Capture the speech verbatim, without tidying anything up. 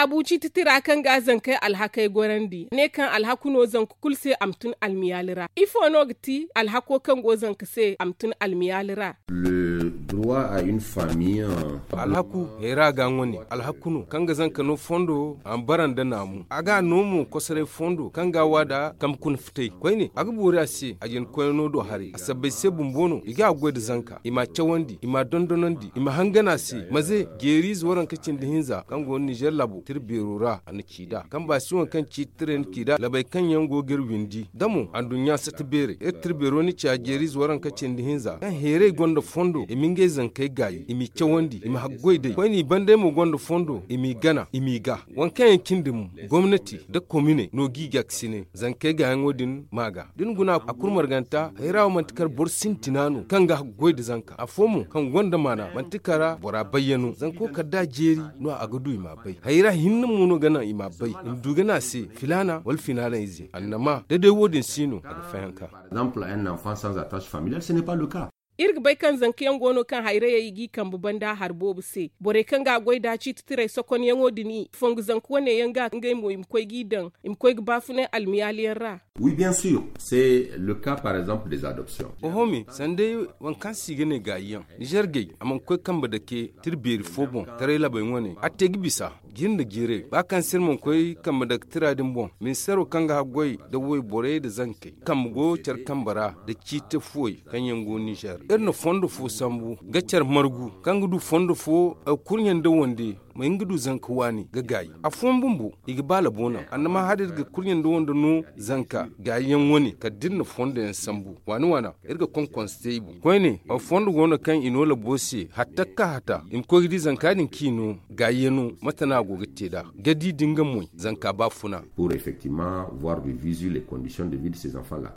Abu ciiti tira kaŋ ga zankey alhakey gorandi ne kaŋ alhaku no zanka kulu se a ma tun almiyaali ra. Ifo no ga ti alhako kaŋ go zanka se a ma tun almiyaali ra? Le droit à une famille. Alhaku hayra ga ŋwa ne alhaku no kaŋ ga zanka no fondo a ma bara nda naamu a ga no mo kosoray fondo kaŋ ga a wa nda kambe kuna fitay koyne a ga boori a se a jina koyne no do haray a sabbay se bumbo no i ga a goy nda zanka i m'a cawandi i m'a dondonandi i ma hangan a se maze jeeriize waranka cindi hinza kaŋ go no nizer laabo tira beero ra a na ci nd'a kambe a si waŋ kaŋ ciiti tiray na ci nd'a labey kaŋ yaŋ go ga iri windi da mo anduɲɲa sata beerey iri tira beero na ci a jeeriize waranka cindi hinza kaŋ heeray gonda fondo i ma ngey zankey gaayi i m'i cawandi i ma haggoy day koyne i bandey mo gonda fondo i m'i gana i m'i ga. Waŋ kaŋ yaŋ cindi mo gomnati nda komine no g'i ga ga sine zankey gaayaŋo din ma ga da ni guna a kulu marganta hayra wo manti kar boro sintina no kaŋ ga haggoy nda zanka afo mo kaŋ gonda maana manti kara bora bayyano zanko kala da a jeeri no a ga du i m'a bay hayra hinne mo no ga naŋ i m'a bay i ma du ga ne a se filaana wala filaana ize annama da day wo- din si no a ga fayanka. Par exemple un enfant sans attache familiale ce n'est pas le cas. Iri ga bay kaŋ zankayaŋ go no kaŋ hayrayey i g'i kambe banda hari boobo se borey kaŋ ga a goy nd'a ciiti tiray sokonyaŋo din i fongu zanka wane yaŋ ga ngey mo i ma koy g'i daŋ i ma koy ga baafunay almiyaali yaŋ ra. Oui bien sûr c'est le cas par exemple des adoptions. Oho me sanda waŋ kaŋ se i ga ne gaayi yaŋ nizer gay a mana koy kambe dake tira beeri fo boŋ taray labey wane a te ga bisa jinde jiirey ba kaŋ se iri mana koy kambe dake tira din boŋ ministeero kaŋ ga haggoy nda wayborey nda zankey kambe go care kambe ra nda ciiti fuwey kaŋ yaŋ go nizer iri na fondo fo sambu ga care margu kaŋ ga du fondo fo kurɲe nda wande ma hin ga du zanka waani ga gaayi afooyaŋ bumbo i ga ba labo naŋ annama hala iri ga kurɲe nda wande no zanka gaayiyaŋ wane kala da iri na fondo yaŋ sambu waani waana iri ga konkonse te i boŋ koyne aw fondo go no kaŋ i no labo se hatta ga ka hata i ma koy ga di zanka din kaŋ i no gaayiyaŋo mate no a go ga te nd'a ga di da nga moy zanka ba funa. Pour effectivement voir du visu les conditions de vie de ces enfants là.